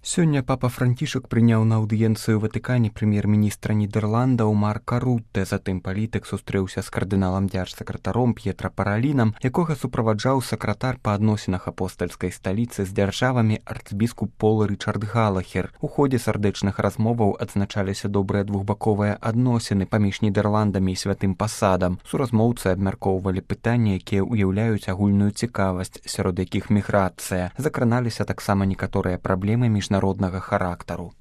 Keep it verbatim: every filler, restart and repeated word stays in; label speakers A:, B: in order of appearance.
A: Сёння папа Францішак прыняў на аўдыенцыю Ватыкане прэм'ер-міністра Нідерландаў Марка Рутте, затым палітык сустрэўся з кардыналам дзяржсакратаром П'етра Паралінам, якога суправаджаў сакратар па адносінах апостальскай сталіцы з дзяржавамі арцбіскуп Пол Рычард Галахер. У ходзе сардэчных размоваў адзначаліся добрыя двухбаковыя адносіны паміж Нідерландамі і святым пасадам. Суразмоўцы абмяркоўвалі пытанні, якія ўяўляюць агульную цікавасць, сярод якіх міграцыя. Закраналіся таксама некаторыя праблемы міжнароднага характару.